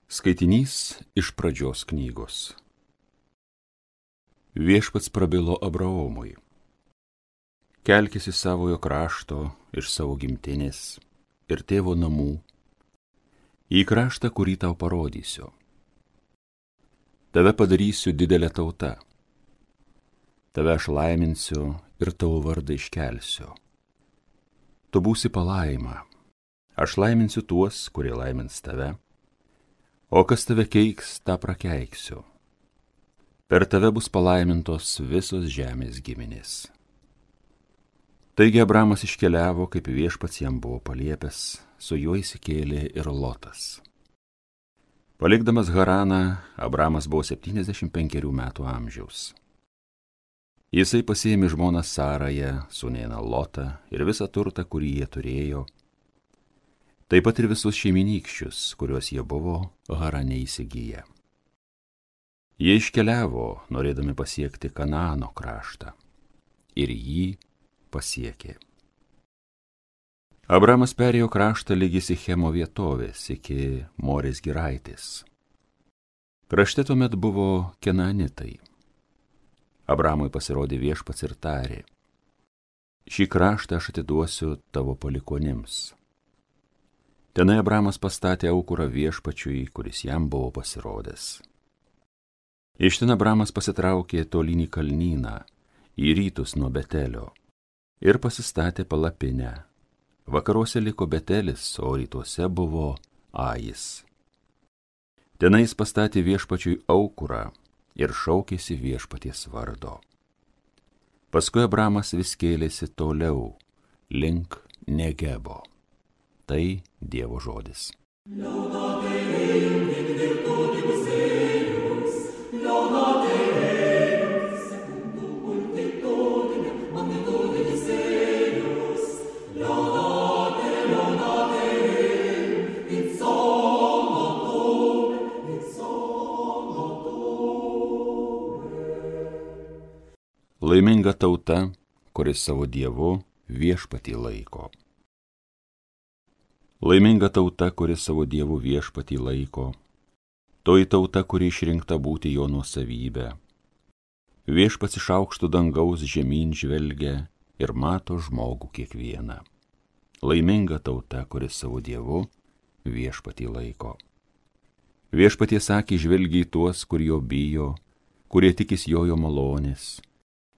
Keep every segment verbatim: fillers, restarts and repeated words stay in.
Skaitinys iš pradžios knygos. Viešpats prabilo Abraomui. Kelkis iš savojo krašto, iš savo gimtinės ir tėvo namų, į kraštą, kurį tau parodysiu. Tave padarysiu didelę tautą. Tave aš laiminsiu ir tavo vardą iškelsiu. Tu būsi palaima. Aš laiminsiu tuos, kurie laimins tave. O kas tave keiks, tą prakeiksiu. Per tave bus palaimintos visos žemės giminės. Taigi Abramas iškeliavo, kaip viešpats jam buvo paliepęs, su juo įsikėlė ir Lotas. Palikdamas Haraną, Abramas buvo septyniasdešimt penkerių metų amžiaus. Jisai pasiėmė žmoną Sarają, sūnėną Lotą ir visą turtą, kurį jie turėjo, taip pat ir visus šeiminykščius, kuriuos jie buvo Harane įsigiję. Jie iškeliavo, norėdami pasiekti Kanaano kraštą, ir jį pasiekė. Abramas perėjo kraštą lygi Sichemo vietovės iki Morės giraitės. Krašte tuomet buvo Kenanitai. Abramui pasirodė viešpats ir tarė: šį kraštą aš atiduosiu tavo palikonims. Tenai Abramas pastatė aukurą viešpačiui, kuris jam buvo pasirodęs. Iš ten Abramas pasitraukė tolyn į kalnyną, į rytus nuo Betelio, ir pasistatė palapinę. Vakaruose liko Betelis, o rytuose buvo Ajis. Tenai jis pastatė viešpačiui aukurą ir šaukėsi viešpaties vardo. Paskui Abramas vis kėlėsi toliau, link Negebo. Tai Dievo žodis. Laiminga tauta, kuris savo Dievu viešpatį laiko. Laiminga tauta, kuris savo Dievu viešpatį laiko, toji tauta, kuri išrinkta būti jo nuosavybė. Viešpats iš aukštų dangaus žemyn žvelgia ir mato žmogų kiekvieną. Laiminga tauta, kuris savo Dievu viešpatį laiko. Viešpaties akį žvelgia į tuos, kur jo bijo, kurie tikis jojo malonės.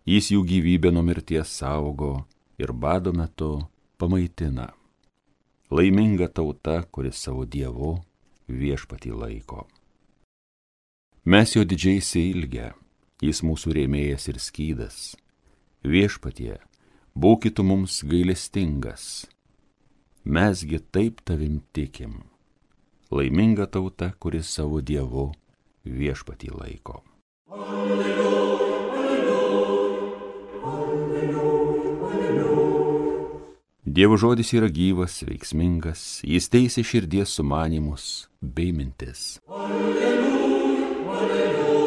Jis jų gyvybę nuo mirties saugo ir bado metu pamaitina. Laiminga tauta, kuris savo Dievu viešpatį laiko. Mes jo didžiai išsiilgę, jis mūsų rėmėjas ir skydas. Viešpatie, būk tu mums gailestingas. Mesgi taip tavim tikim. Laiminga tauta, kuris savo Dievu viešpatį laiko. Alleluja. Dievo žodis yra gyvas, veiksmingas, jis teisia širdies sumanymus bei mintis. Alleluja, alleluja.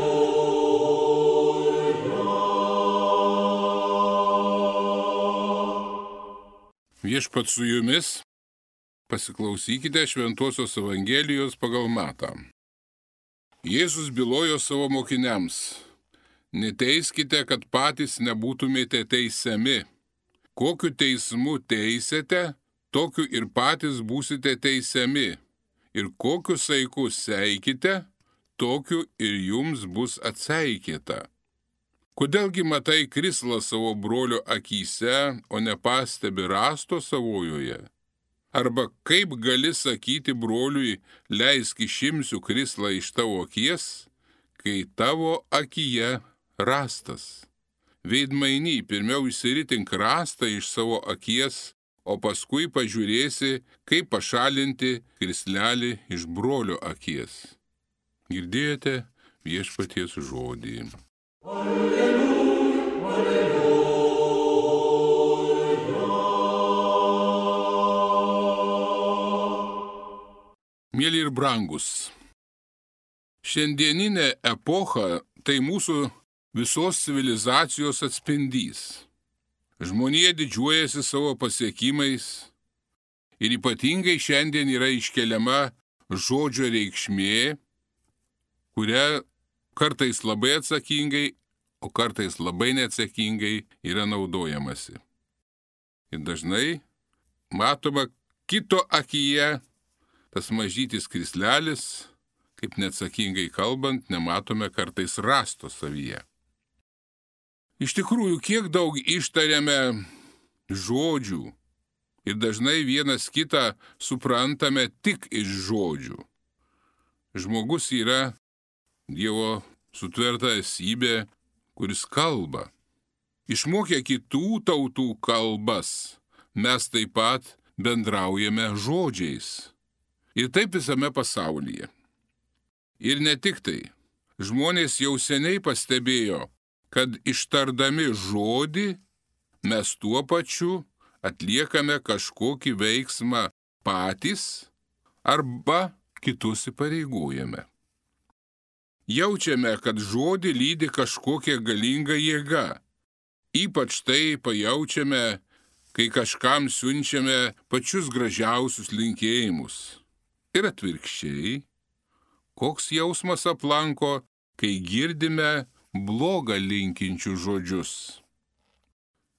Viešpats su jumis, pasiklausykite Šventosios Evangelijos pagal Matą. Jėzus bylojo savo mokiniams: neteiskite, kad patys nebūtumėte teisiami. Kokiu teismu teisėte, tokiu ir patys būsite teisiami. Ir kokiu saiku seikite, tokiu ir jums bus atseikyta. Kodėlgi matai krislą savo brolio akyse, o nepastebi rąsto savojoje? Arba kaip gali sakyti broliui: leisk išimsiu krislą iš tavo akies, kai tavo akyje rąstas? Veidmainy, pirmiau išsiritink rąstą iš savo akies, o paskui pažiūrėsi, kaip pašalinti krislelį iš brolio akies. Girdėjote viešpaties žodį. Alleluja, alleluja. Mieli ir brangus, šiandieninė epocha tai mūsų visos civilizacijos atspindys. Žmonija didžiuojasi savo pasiekimais ir ypatingai šiandien yra iškeliama žodžio reikšmė, kuria kartais labai atsakingai, o kartais labai neatsakingai yra naudojamasi. Ir dažnai matoma kito akyje tas mažytis krislelis, kaip neatsakingai kalbant, nematome kartais rasto savyje. Iš tikrųjų, kiek daug ištariame žodžių ir dažnai vienas kitą suprantame tik iš žodžių. Žmogus yra Dievo sutverta esybė, kuris kalba. Išmokę kitų tautų kalbas, mes taip pat bendraujame žodžiais. Ir taip visame pasaulyje. Ir ne tik tai. Žmonės jau seniai pastebėjo, kad ištardami žodį, mes tuo pačiu atliekame kažkokį veiksmą patys arba kitus įpareigojame. Jaučiame, kad žodį lydi kažkokia galinga jėga. Ypač tai pajaučiame, kai kažkam siunčiame pačius gražiausius linkėjimus. Ir atvirkščiai, koks jausmas aplanko, kai girdime blogą linkinčių žodžius.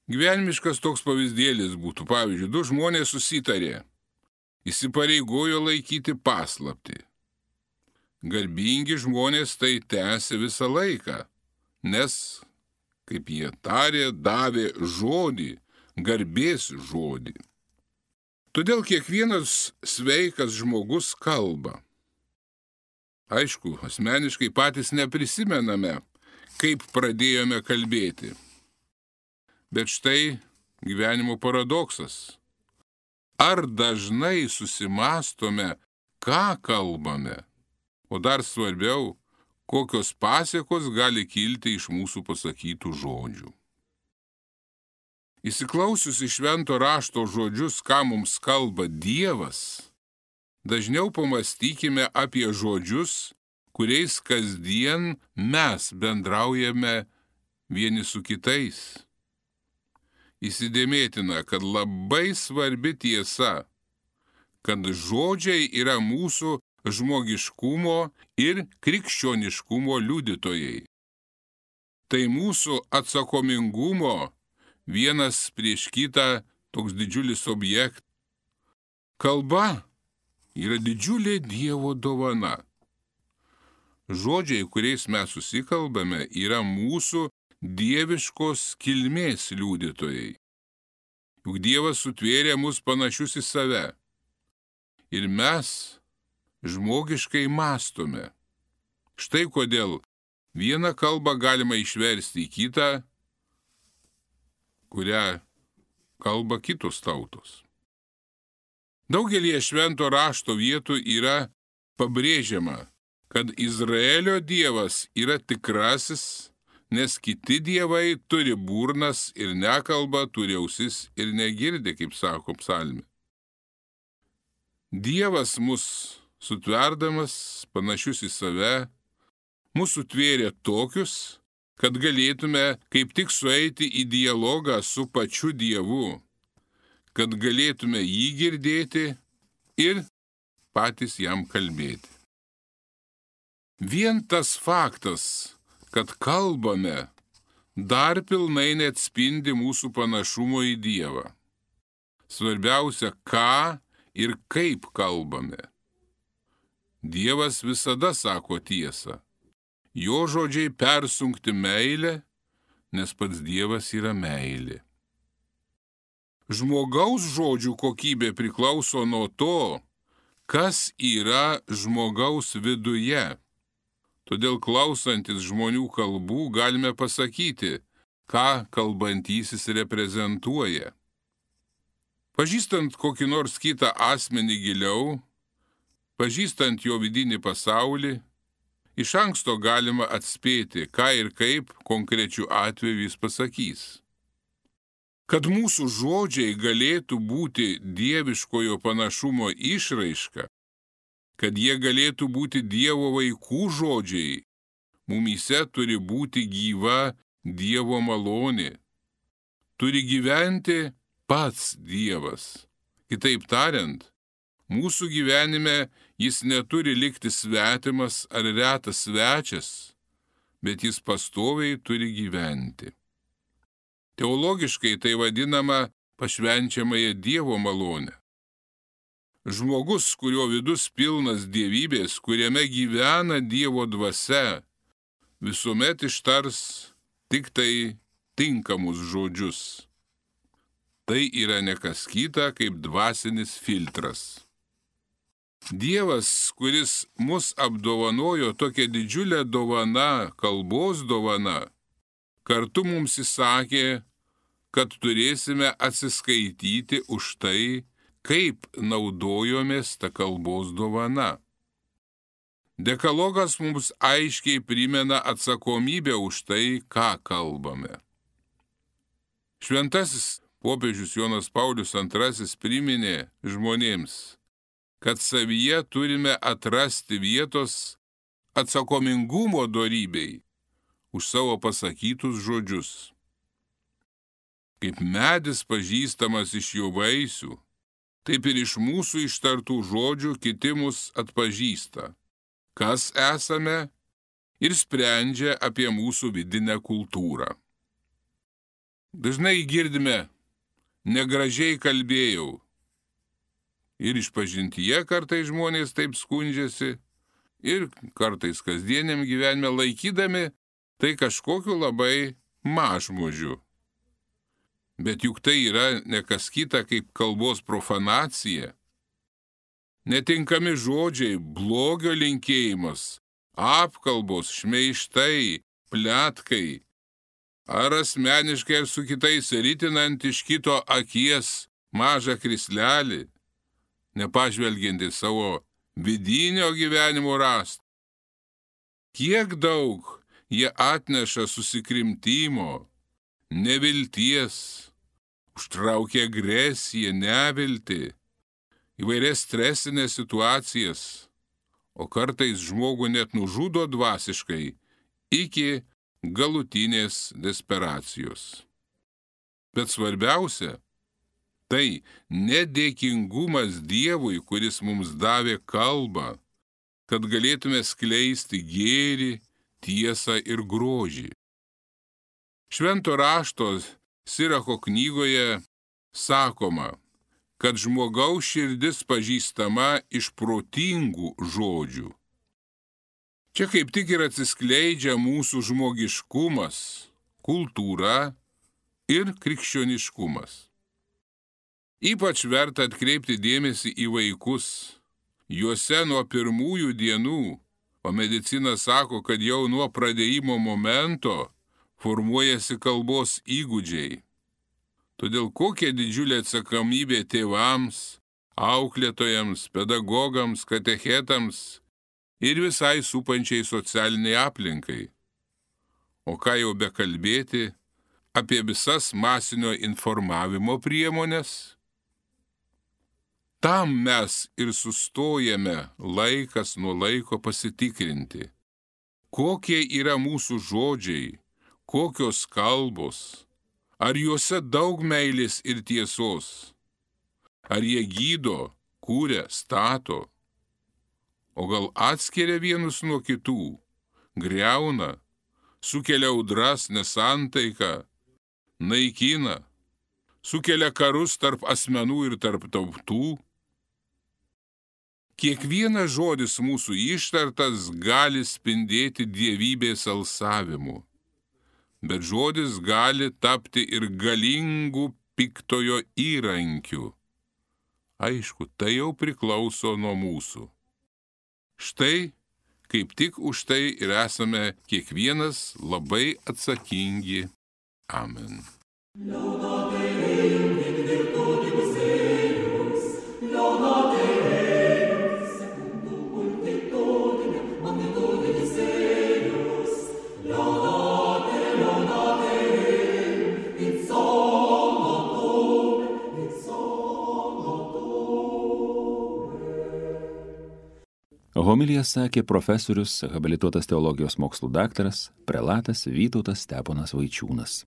Gyvenimiškas toks pavyzdėlis būtų, pavyzdžiui, du žmonės susitarė, įsipareigojo laikyti paslaptį. Garbingi žmonės tai tęsė visą laiką, nes, kaip jie tarė, davė žodį, garbės žodį. Todėl kiekvienas sveikas žmogus kalba. Aišku, asmeniškai patys neprisimename, kaip pradėjome kalbėti. Bet štai gyvenimo paradoksas. Ar dažnai susimastome, ką kalbame? O dar svarbiau, kokios pasiekos gali kilti iš mūsų pasakytų žodžių. Įsiklausius į švento rašto žodžius, ką mums kalba Dievas, dažniau pamastykime apie žodžius, kuriais kasdien mes bendraujame vieni su kitais. Įsidėmėtina, kad labai svarbi tiesa, kad žodžiai yra mūsų žmogiškumo ir krikščioniškumo liudytojai. Tai mūsų atsakomingumo vienas prieš kitą toks didžiulis objektas. Kalba yra didžiulė Dievo dovana. Žodžiai, kuriais mes susikalbame, yra mūsų dieviškos kilmės liudytojai. Juk Dievas sutvėrė mus panašius į save. Ir mes žmogiškai mąstome. Štai kodėl vieną kalbą galima išversti į kitą, kurią kalba kitos tautos. Daugelį švento rašto vietų yra pabrėžiama, kad Izraelio Dievas yra tikrasis, nes kiti dievai turi burnas ir nekalba, turi ausis ir negirdi, kaip sako psalmė. Dievas mus sutverdamas panašius į save, mūsų tvėrė tokius, kad galėtume kaip tik sueiti į dialogą su pačiu Dievu, kad galėtume jį girdėti ir patys jam kalbėti. Vien tas faktas, kad kalbame, dar pilnai neatspindi mūsų panašumo į Dievą. Svarbiausia, ką ir kaip kalbame. Dievas visada sako tiesą. Jo žodžiai persunkti meilę, nes pats Dievas yra meilė. Žmogaus žodžių kokybė priklauso nuo to, kas yra žmogaus viduje. Todėl klausantis žmonių kalbų galime pasakyti, ką kalbantysis reprezentuoja. Pažįstant kokį nors kitą asmenį giliau, pažįstant jo vidinį pasaulį, iš anksto galima atspėti, ką ir kaip konkrečiu atveju jis pasakys. Kad mūsų žodžiai galėtų būti dieviškojo panašumo išraiška, kad jie galėtų būti Dievo vaikų žodžiai, mumyse turi būti gyva Dievo malonė. Turi gyventi pats Dievas. Kitaip tariant, Mūsų gyvenime jis neturi likti svetimas ar retas svečias, bet jis pastoviai turi gyventi. Teologiškai tai vadinama pašvenčiamąją Dievo malonę. Žmogus, kurio vidus pilnas dievybės, kuriame gyvena Dievo dvasia, visuomet ištars tik tai tinkamus žodžius. Tai yra ne kas kita kaip dvasinis filtras. Dievas, kuris mus apdovanojo tokia didžiulė dovana, kalbos dovana, kartu mums įsakė, kad turėsime atsiskaityti už tai, kaip naudojomės ta kalbos dovana. Dekalogas mums aiškiai primena atsakomybę už tai, ką kalbame. Šventasis popiežius Jonas Paulius antrasis priminė žmonėms, kad savyje turime atrasti vietos atsakomingumo dorybei už savo pasakytus žodžius. Kaip medis pažįstamas iš jo vaisių, taip ir iš mūsų ištartų žodžių kiti mus atpažįsta, kas esame ir sprendžia apie mūsų vidinę kultūrą. Dažnai girdime, negražiai kalbėjau. Ir išpažintyje kartais žmonės taip skundžiasi, ir kartais kasdieniam gyvenime laikydami tai kažkokiu labai mažmožiu. Bet juk tai yra ne kas kita kaip kalbos profanacija. Netinkami žodžiai, blogio linkėjimas, apkalbos, šmeižtai, pletkai, ar asmeniškai ar su kitais ritinant iš kito akies mažą krislelį, nepažvelgiant į savo vidinio gyvenimo rastą. Kiek daug jie atneša susikrimtimo, nevilties, užtraukia agresiją, neviltį, įvairias stresinės situacijas, o kartais žmogų net nužudo dvasiškai iki galutinės desperacijos. Bet svarbiausia, tai nedėkingumas Dievui, kuris mums davė kalbą, kad galėtume skleisti gėrį, tiesą ir grožį. Švento rašto Sirako knygoje sakoma, kad žmogaus širdis pažįstama iš protingų žodžių. Čia kaip tik ir atsiskleidžia mūsų žmogiškumas, kultūra ir krikščioniškumas. Ypač verta atkreipti dėmesį į vaikus. Juose nuo pirmųjų dienų, o medicina sako, kad jau nuo pradėjimo momento formuojasi kalbos įgūdžiai. Todėl kokia didžiulė atsakomybė tėvams, auklėtojams, pedagogams, katechetams ir visai supančiai socialiniai aplinkai. O ką jau bekalbėti apie visas masinio informavimo priemonės? Tam mes ir sustojame laikas nuo laiko pasitikrinti, kokie yra mūsų žodžiai, kokios kalbos, ar juose daug meilės ir tiesos, ar jie gydo, kūria, stato, o gal atskiria vienus nuo kitų, griauna, sukelia audras, nesantaiką, naikina, sukelia karus tarp asmenų ir tarp tautų. Kiekvienas žodis mūsų ištartas gali spindėti dievybės alsavimu, bet žodis gali tapti ir galingų piktojo įrankiu. Aišku, tai jau priklauso nuo mūsų. Štai, kaip tik už tai ir esame kiekvienas labai atsakingi. Amen. Homiliją sakė profesorius, habilituotas teologijos mokslų daktaras, prelatas Vytautas Steponas Vaičiūnas.